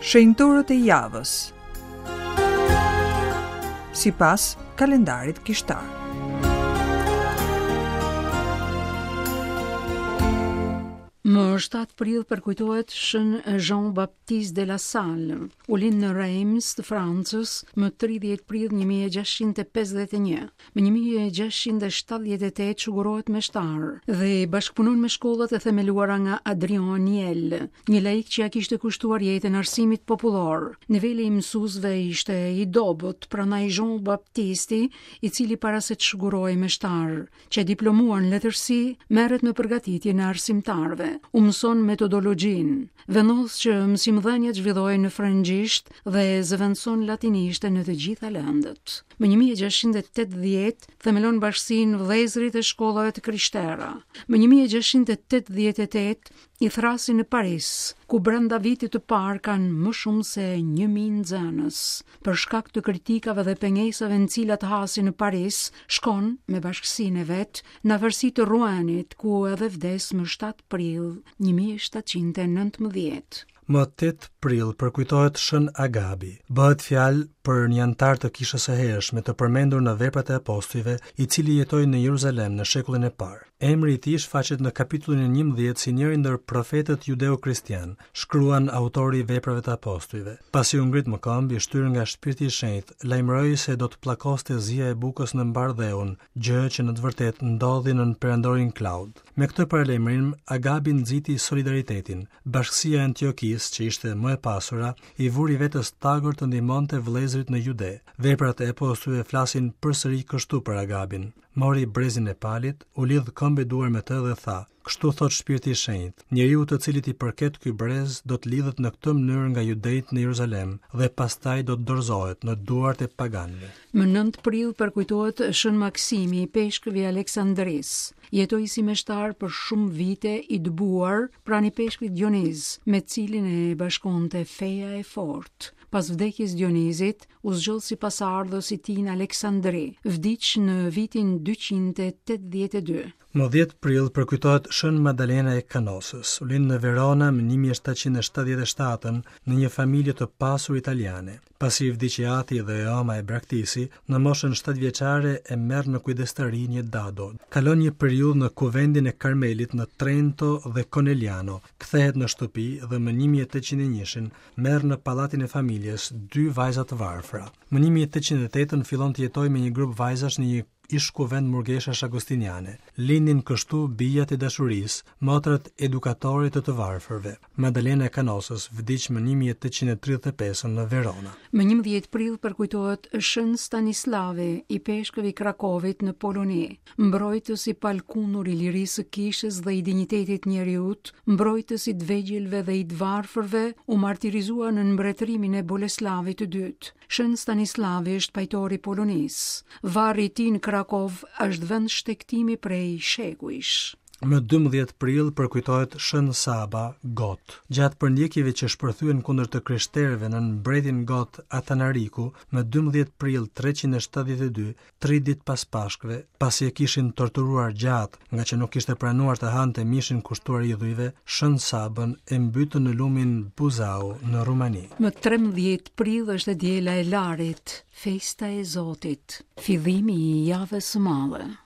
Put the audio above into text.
Shenjtorët e javës. Sipas kalendarit kishtar. Më 7 prill përkujtohet Shën Jean Baptiste de la Salle. U lind në Reims të Francës më 30 prill 1651. Më 1678 shugurohet meshtar dhe bashkëpunon me shkollat e themeluara nga Adrien Nyel, një laik që ia kishte kushtuar jetën arsimit popullor. Niveli i mësuesve ishte i dobët, prandaj Jean Baptisti, i cili para se të shugurohej meshtar, qe diplomuar në letërsi, merret me përgatitjen e arsimtarëve, u mëson metodologjinë, vendos që mësimdhënia të zhvillohej në frëngjisht dhe zëvendëson latinishten në të gjitha lëndët. Më 1680 themelon bashkësinë Vëllezërit e Shkollave të Krishtera. Më 1688 i thërrasin në Paris, ku brenda vitit të parë kanë më shumë se 1000 nxënës. Për shkak të kritikave dhe pengesave në cilat hasin në Paris, shkon me bashkësinë e vet në afërsi të Ruenit, ku edhe vdes më 7 prill 1719. Më 8 prill përkujtohet Shën Agabi. Bëhet fjalë për një anëtar të kishës së hershme të përmendur në Veprat e Apostujve, i cili jetoi në Jeruzalem në shekullin e parë. Emri i tij shfaqet në kapitullin e 11 si njëri ndër profetët judeo-kristianë, shkruan autori i Veprave të Apostujve. Pasi u ngrit më këmbë, i shtyrë nga Shpirti i Shenjtë, lajmëroi se do të pllakoste zia e bukës në mbarë dheun, gjë që në të vërtetë ndodhi nën perandorin Klaud. Me këtë paralajmërim, Agabi nxiti solidaritetin. Bashkësia e Antiokisë, që ishte më e pasura, i vuri vetes tagër të ndihmonte vëllezërit në Jude. Veprat e Apostujve flasin përsëri kështu për Agabin. Mori brezin e Palit, u lidh këmbë e duar me të dhe tha: Kështu thotë Shpirti i Shenjtë, njeriu të cilit i përket ky brez do të lidhet në këtë mënyrë nga judejtë në Jeruzalem dhe pastaj do të dorëzohet në duart e paganëve. Më 9 prill përkujtohet Shën Maksimi, ipeshkëv i Aleksandrisë. Jetoi si meshtar për shumë vite i dëbuar pranë ipeshkvit Dioniz, me të cilin e bashkonte feja e fortë. Pas vdekjes Dionizit, u zgjodh si pasardhës i tij në Aleksandri. Vdiq në vitin 282. Më 10 prill përkujtohet Shën Madalena e Kanosës. U lind në Verona më 1777 në një familje të pasur italiane. Pasi i vdiq i ati dhe e ëma e braktisi, në moshën 7 vjeçare e merr në kujdestari një dado. Kalon një periudhë në kuvendin e Karmelit në Trento dhe Conegliano, kthehet në shtëpi dhe më 1801-shin merr në pallatin e familjes dy vajza të varfra. Më 1808-ën fillon të jetojë me një grup vajzash në një ish-kuvend murgeshash agostiniane. Lindin kështu bijat e dashurisë, motrat edukatore të të varfërve. Madalena e Kanosës vdiq më 1835 në Verona. Më 11 prill përkujtohet Shën Stanislavi, ipeshkëv i Krakovit në Poloni, mbrojtës i palëkundur i lirisë së kishës dhe i dinjitetit të njeriut, mbrojtës i të vegjëlve dhe i të varfërve, u martirizua nën mbretërimin e Boleslavit të dytë. Shën Stanislavi është pajtor i Polonisë. Varri i tij në Krakov është vend shtegtimi prej shekujsh. Më 12 prill përkujtohet Shën Saba, Got. Gjatë përndjekjeve që shpërthyen kundër të krishterëve nën mbretin got Atanariku, më 12 prill 372, Tri ditë pas Pashkëve, pasi e kishin torturuar gjatë, ngaqë nuk kishte pranuar të hante mishin kushtuar idhujve, Shën Sabën e mbytën në lumin Buzau në Rumani. Më 13 prill është e diela e Larit, festa e Zotit, fillimi i javës së madhe.